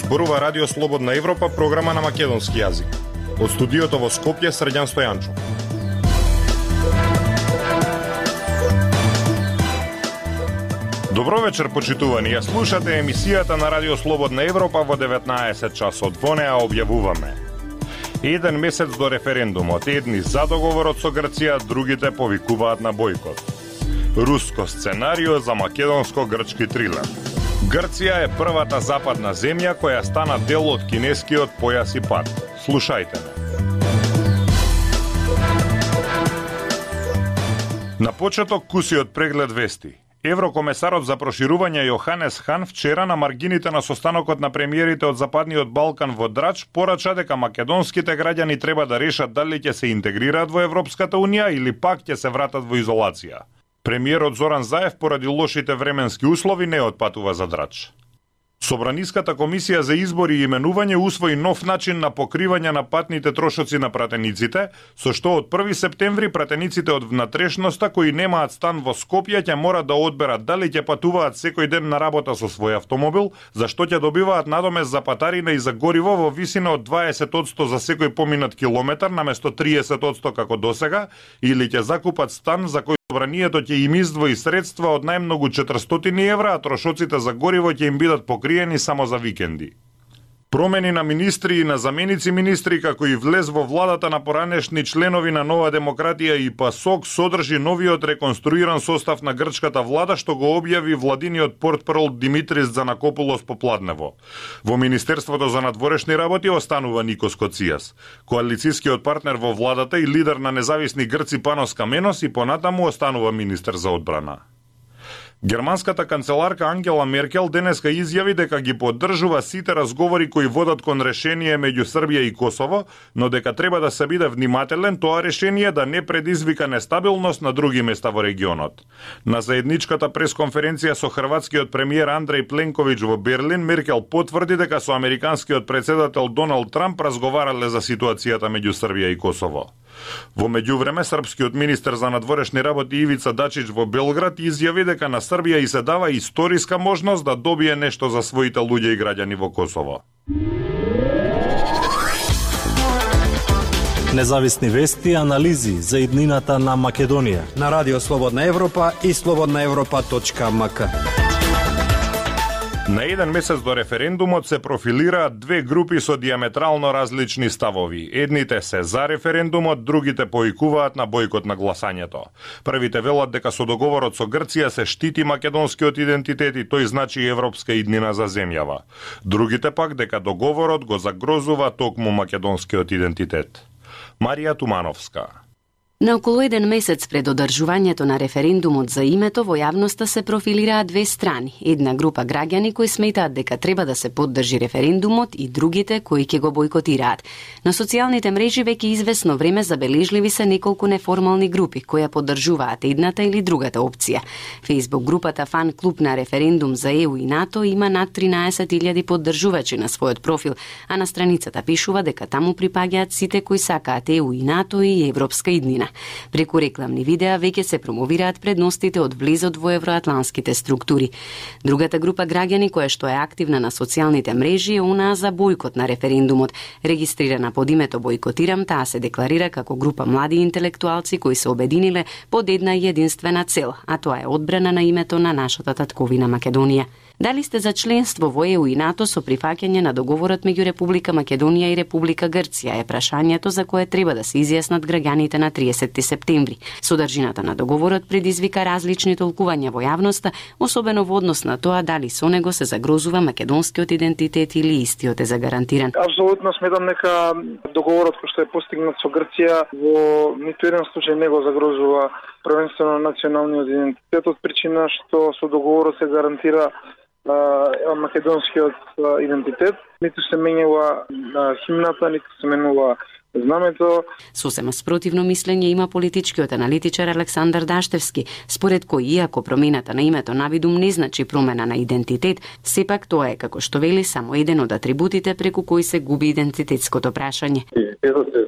зборува Радио Слободна Европа, програма на македонски јазик. Од студиото во Скопје, Срđan Стојанчов. Добро вечер, почитувани. Ја слушате емисијата на Радио Слободна Европа во 19 часот. Во неа објавуваме: еден месец до референдумот, едни за договорот со Грција, другите повикуваат на бојкот. Руско сценарио за македонско-грчки трилер. Грција е првата западна земја која стана дел од кинескиот појас и пат. Слушајте ме. На почеток кусиот преглед вести. Еврокомесарот за проширување Јоханес Хан вчера на маргините на состанокот на премиерите од Западниот Балкан во Драч порача дека македонските граѓани треба да решат дали ќе се интегрираат во Европската Унија или пак ќе се вратат во изолација. Премиерот Зоран Заев поради лошите временски услови не отпатува за Драч. Собраниската комисија за избори и именување усвои нов начин на покривање на патните трошоци на пратениците, со што од 1 септември пратениците од внатрешноста кои немаат стан во Скопје ќе мора да одберат дали ќе патуваат секој ден на работа со свој автомобил, за што ќе добиваат надомест за патарина и за гориво во висина од 20% за секој поминат километар наместо 30% како досега, или ќе закупат стан за кој собранието ќе им издвои средства од најмногу 400 евра, а трошоците за гориво ќе им бидат покриени само за викенди. Промени на министри и на заменици министри, како и влез во владата на поранешни членови на Нова демократија и ПАСОК, содржи новиот реконструиран состав на грчката влада, што го објави владиниот портпарол Димитрис Занакопулос попладнево. Во Министерството за надворешни работи останува Никос Коцијас, коалицискиот партнер во владата и лидер на независни грци Панос Каменос, и понатаму останува министер за одбрана. Германската канцеларка Ангела Меркел денеска изјави дека ги поддржува сите разговори кои водат кон решение меѓу Србија и Косово, но дека треба да се биде внимателен тоа решение да не предизвика нестабилност на други места во регионот. На заедничката пресконференција со хрватскиот премиер Андреј Пленковиќ во Берлин, Меркел потврди дека со американскиот претседател Доналд Трамп разговарале за ситуацијата меѓу Србија и Косово. Во меѓувреме, српскиот министер за надворешни работи Ивица Дачич во Белград изјави дека на Србија и се дава историска можност да добие нешто за своите луѓе и граѓани во Косово. Независни вести и анализи за иднината на Македонија на Радио Слободна Европа и slobodnaevropa.mk. На еден месец до референдумот се профилираат две групи со диаметрално различни ставови. Едните се за референдумот, другите поикуваат на бојкот на гласањето. Првите велат дека со договорот со Грција се штити македонскиот идентитет и тој значи европска иднина за земјава. Другите пак дека договорот го загрозува токму македонскиот идентитет. Марија Тумановска. На околу еден месец пред одржувањето на референдумот за името, во јавноста се профилираат две страни. Една група граѓани кои сметаат дека треба да се поддржи референдумот и другите кои ќе го бойкотираат. На социјалните мрежи веќе извесно време забележливи се неколку неформални групи кои ја поддржуваат едната или другата опција. Фејсбук групата Фан клуб на референдум за ЕУ и НАТО има над 13.000 поддржувачи на својот профил, а на страницата пишува дека таму припаѓаат сите кои сакаат ЕУ и НАТО и европска иднина. Преку рекламни видеа веќе се промовираат предностите од влезот во евроатланските структури. Другата група граѓани која што е активна на социјалните мрежи е онаа за бојкот на референдумот. Регистрирана под името Бојкотирам, таа се декларира како група млади интелектуалци кои се обединиле под една единствена цел, а тоа е одбрана на името на нашата татковина Македонија. Дали сте за членство во ЕУ и НАТО со прифаќање на договорот меѓу Република Македонија и Република Грција е прашањето за кое треба да се изјаснат граѓаните на 30 септември. Содржината на договорот предизвика различни толкувања во јавноста, особено во однос на тоа дали со него се загрозува македонскиот идентитет или истиот е загарантиран. Апсолутно сметам дека договорот кој што е постигнат со Грција во ниту еден случај не го загрозува првенствено националниот идентитет, од причина што со договорот се гарантира македонскиот идентитет. Ниту се менјава химната, ниту се менува знамето. Сосема спротивно мислење има политичкиот аналитичар Александар Даштевски, според кој иако промената на името навидум не значи промена на идентитет, сепак тоа е, како што вели, само еден од атрибутите преку кои се губи идентитетското прашање. Идентитетот се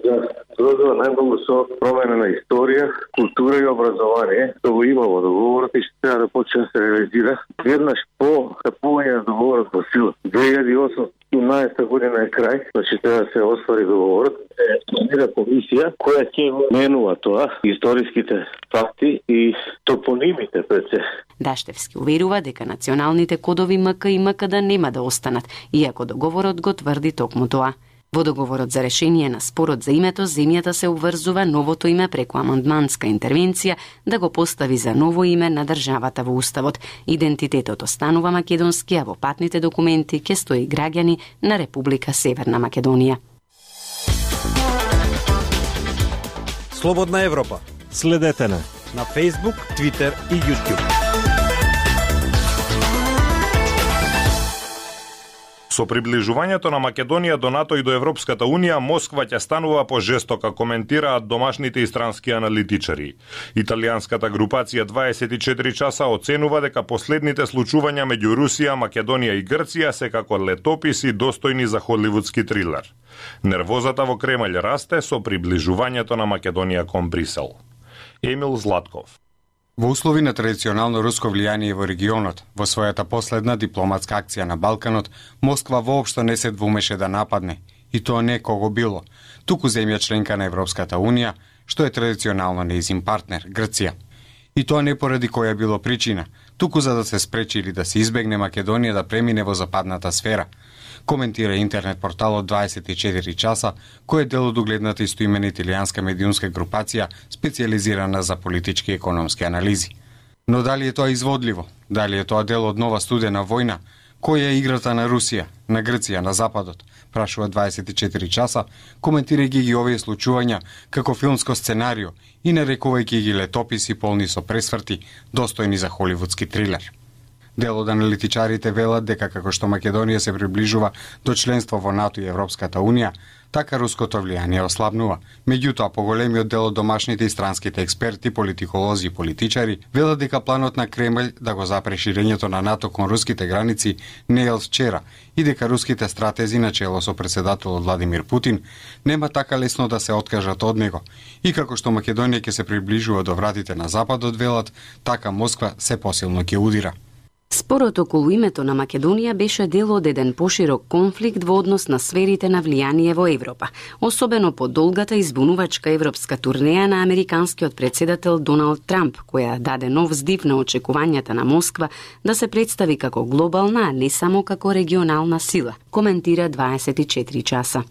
згрозува најмногу со промена на историја, култура и образование. Тоа го има во договорот и што треба да почне да се реализира. Веднаш по стапување на договорот во сила. 2018 година е крај, значи треба да се оствари договорот. Планира комисија која ќе го менува тоа, историските факти и топонимите пред се. Даштевски уверува дека националните кодови МК и МКД нема да останат, иако договорот го тврди токму тоа. Во договорот за решение на спорот за името, земјата се обврзува новото име преку амандманска интервенција да го постави за ново име на државата во уставот. Идентитетот останува македонски, а во патните документи ќе стои граѓани на Република Северна Македонија. Слободна Европа. Следете на Facebook, Twitter и YouTube. Со приближувањето на Македонија до НАТО и до Европската Унија, Москва ќе станува пожестока, коментираат домашните и странски аналитичари. Италијанската групација 24 часа оценува дека последните случувања меѓу Русија, Македонија и Грција се како летописи достојни за холивудски трилер. Нервозата во Кремљ расте со приближувањето на Македонија кон Брисел. Емил Златков. Во услови на традиционално руско влијание во регионот, во својата последна дипломатска акција на Балканот, Москва воопшто не се двумеше да нападне, и тоа не кого било, туку земја членка на Европската Унија, што е традиционално нејзин партнер, Грција. И тоа не поради која било причина, туку за да се спречи или да се избегне Македонија да премине во западната сфера, коментира интернет порталот 24 часа, кој е дел од угледната истоимена италијанска медиумска групација специјализирана за политички и економски анализи. Но дали е тоа изводливо? Дали е тоа дел од нова студена војна? Која е играта на Русија, на Грција, на Западот? Прашува 24 часа, коментирајќи ги овие случувања како филмско сценарио и нарекувајќи ги летописи полни со пресврти, достојни за холивудски трилер. Дел од аналитичарите велат дека како што Македонија се приближува до членство во НАТО и Европската Унија, така руското влијание ослабнува. Меѓутоа, поголемиот дел од домашните и странските експерти, политиколози и политичари велат дека планот на Кремљ да го запре ширењето на НАТО кон руските граници не е од вчера и дека руските стратези на чело со председателот Владимир Путин нема така лесно да се откажат од него. И како што Македонија ќе се приближува до вратите на Западот, велат, така Москва се посилно ќе удира. Спорот околу името на Македонија беше дел од еден поширок конфликт во однос на сферите на влијание во Европа, особено по долгата избунувачка европска турнеја на американскиот председател Доналд Трамп, која даде нов здив на очекувањата на Москва да се представи како глобална, а не само како регионална сила, коментира 24 часа.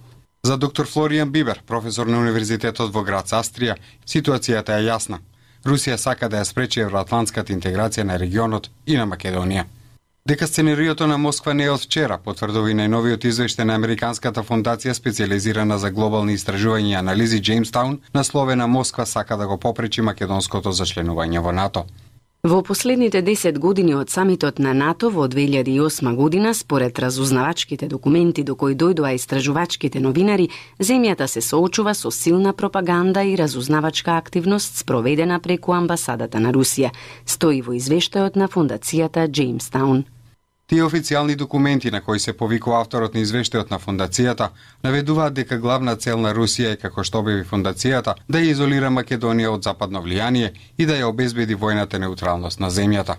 За доктор Флоријан Бибер, професор на Универзитетот во град Австрија, ситуацијата е јасна. Русија сака да ја спречи евроатлантската интеграција на регионот и на Македонија. Дека сценариото на Москва не е од вчера, потврдува и најновиот извештај на Американската фондација специјализирана за глобални истражувања и анализи Джеймстаун, насловена Москва сака да го попречи македонското зачленување во НАТО. Во последните 10 години од самитот на НАТО во 2008 година, според разузнавачките документи до кои дојдоа истражувачките новинари, земјата се соочува со силна пропаганда и разузнавачка активност спроведена преку амбасадата на Русија, стои во извештајот на фондацијата Джеймстаун. Тие официјални документи на кои се повикува авторот на извештајот на фондацијата наведуваат дека главна цел на Русија е, како што објави фондацијата, да ја изолира Македонија од западно влијание и да ја обезбеди војната неутралност на земјата.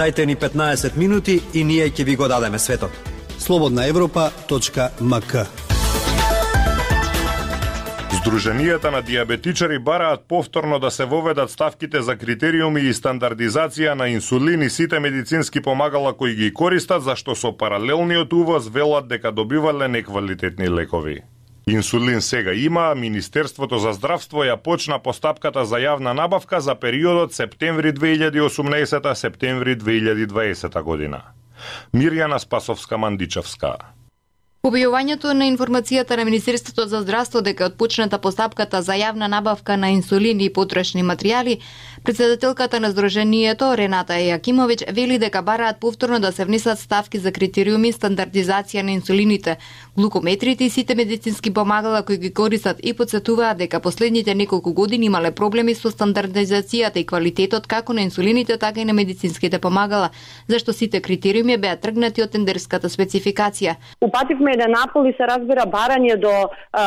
Дајте ни 15 минути и ние ќе ви го дадеме светот. slobodnaevropa.mk. Здруженијата на диабетичари бараат повторно да се воведат ставките за критериуми и стандардизација на инсулин и сите медицински помагала кои ги користат, зашто со паралелниот увоз велат дека добивале неквалитетни лекови. Инсулин сега има, а Министерството за здравство ја почна постапката за јавна набавка за периодот септември 2018 септември 2020 година. Мирјана Спасовска-Мандичевска. Објавувањето на информацијата на Министерството за здравство дека е отпочната постапката за јавна набавка на инсулин и потрошни материјали, председателката на Сдруженијето Рената Јакимовиќ вели дека бараат повторно да се внесат ставки за критериуми стандардизација на инсулините, глукометрите и сите медицински помагала кои ги користат и потсетуваат дека последните неколку години имале проблеми со стандардизацијата и квалитетот како на инсулините, така и на медицинските помагала, зашто сите критериуми беа тргнати од тендерската спецификација. Упативме еден апел и се разбира барање до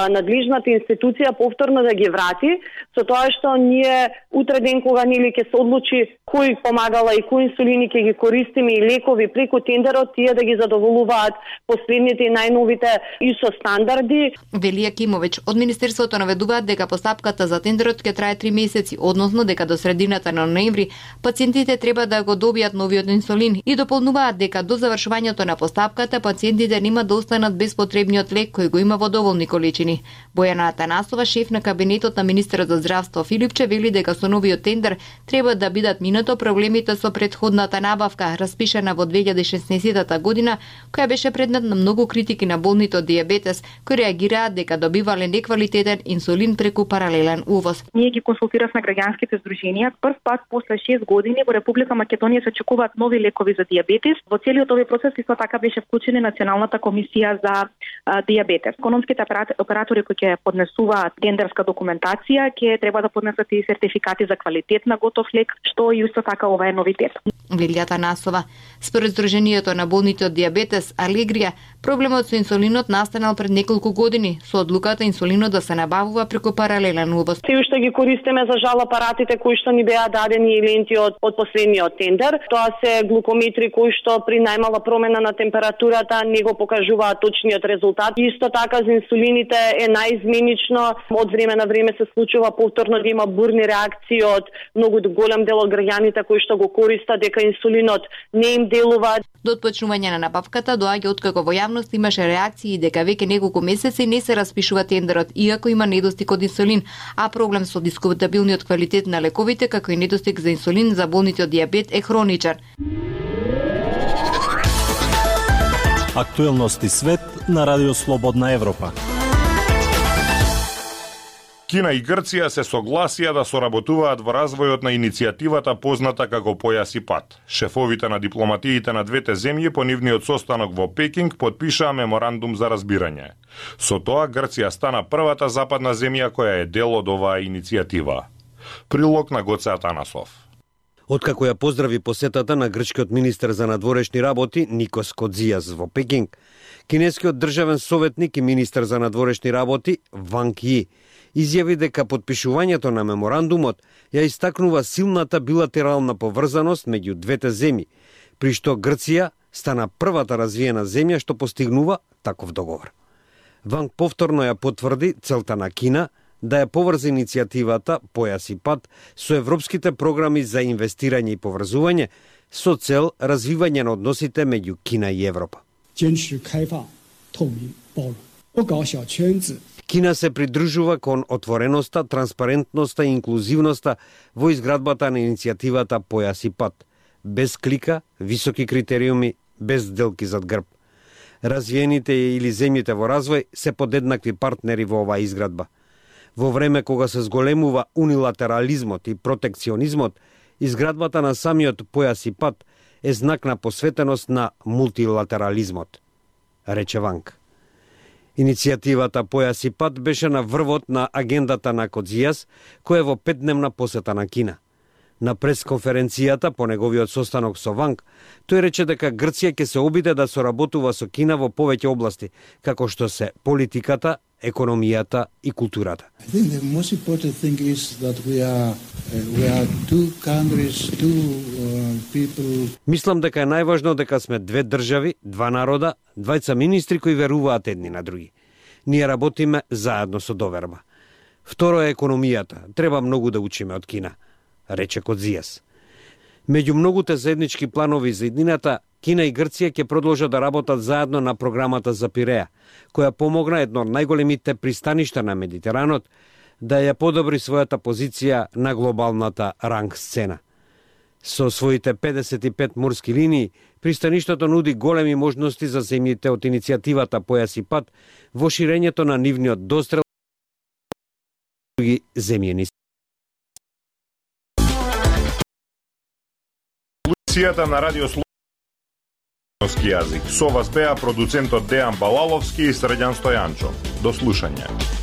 надлежната институција повторно да ги врати, со тоа што ние утре ден кога нели ќе се одлучи кои помагала и кои инсулини ќе ги користиме и лекови преку тендерот, тие да ги задоволуваат последните и најновите ИСО стандарди. Вели Јакимовиќ, од Министерството наведуваат дека постапката за тендерот ќе трае 3 месеци, односно дека до средината на ноември пациентите треба да го добијат новиот инсулин и дополнуваат дека до завршувањето на постапката пациентите нема да останат без потребниот лек кој го има во доволни количини. Бојана Атанасова, шеф на кабинетот на министерот за здравство Филипче, вели дека со новиот тендер треба да бидат минато проблемите со претходната набавка, распишана во 2016 година, која беше предмет на многу критики на болните од дијабетес, кои реагираат дека добивале неквалитетен инсулин преку паралелен увоз. Ние ги консултиравме граѓанските здруженија. Прв пат после 6 години во Република Македонија се очекуваат нови лекови за дијабетес. Во целиот овој процес исто така беше вклучена Националната комисија за дијабетес. Економските оператори кои ќе поднесуваат тендерска документација ќе треба да поднесат и сертификати за квалитет на готов лек, што и исто така ова е новитет. Вели Атанасова, според Сдруженијето на болните од дијабетес Алегрија, проблемот со инсулинот настанал пред неколку години со одлуката инсулинот да се набавува преку паралелен увоз. Се уште ги користиме за жал апаратите кои што ни беа дадени и ленти од последниот тендер. Тоа се глукометри кои што при најмала промена на температурата не го покажуваат точниот резултат. Исто така за инсулините е најизменично, од време на време се случува повторно да има бурни реакции од многу голем дел од граѓаните кои што го користат дека инсулинот не им делува. До отпочнување на набавката доаѓа откако во јавност имаше реакции дека веќе неколку месеци не се распишува тендерот, иако има недостиг од инсулин, а проблем со дискутабилниот квалитет на лековите, како и недостиг за инсулин за болните од дијабет е хроничар. Актуелности свет на Радио Слободна Европа. Кина и Грција се согласија да соработуваат во развојот на иницијативата позната како Појас и пат. Шефовите на дипломатиите на двете земји по нивниот состанок во Пекинг потпишаа меморандум за разбирање. Со тоа Грција стана првата западна земја која е дел од оваа иницијатива. Прилог на Гоце Атанасов. Откако ја поздрави посетата на грчкиот министер за надворешни работи Никос Кодзијас во Пекинг, кинескиот државен советник и министер за надворешни работи Ванг Ји изјави дека потпишувањето на меморандумот ја истакнува силната билатерална поврзаност меѓу двете земји, при што Грција стана првата развиена земја што постигнува таков договор. Ванг повторно ја потврди целта на Кина да ја поврзе иницијативата Појас и пат со европските програми за инвестирање и поврзување со цел развивање на односите меѓу Кина и Европа. Кина се придружува кон отвореноста, транспарентноста и инклузивноста во изградбата на иницијативата Појас и пат, без клика, високи критериуми, без сделки зад грб. Развиените или земјите во развој се подеднакви партнери во оваа изградба. Во време кога се зголемува унилатерализмот и протекционизмот, изградбата на самиот Појас и пат е знак на посветеност на мултилатерализмот, рече Ванг. Иницијативата Појас и пат беше на врвот на агендата на Кодзијас, кој е во 5-дневна посета на Кина. На пресконференцијата по неговиот состанок со Ванг, тој рече дека Грција ќе се обиде да соработува со Кина во повеќе области, како што се политиката, економијата и културата. Мислам дека е најважно дека сме две држави, два народа, двајца министри кои веруваат едни на други. Ние работиме заедно со доверба. Второ е економијата. Треба многу да учиме од Кина, рече Кодзијас. Меѓу многуте заеднички планови за иднината, Кина и Грција ќе продолжат да работат заедно на програмата за Пиреа, која помогна едно од најголемите пристаништа на Медитеранот да ја подобри својата позиција на глобалната ранг сцена. Со своите 55 морски линии, пристаништото нуди големи можности за земјите од иницијативата Појас и пат во ширењето на нивниот дострел други земјени. Полицијата на радио Слободски јазик. Со вас беа продуцентот Дејан Балаловски и Средјан Стојанчо. До слушање.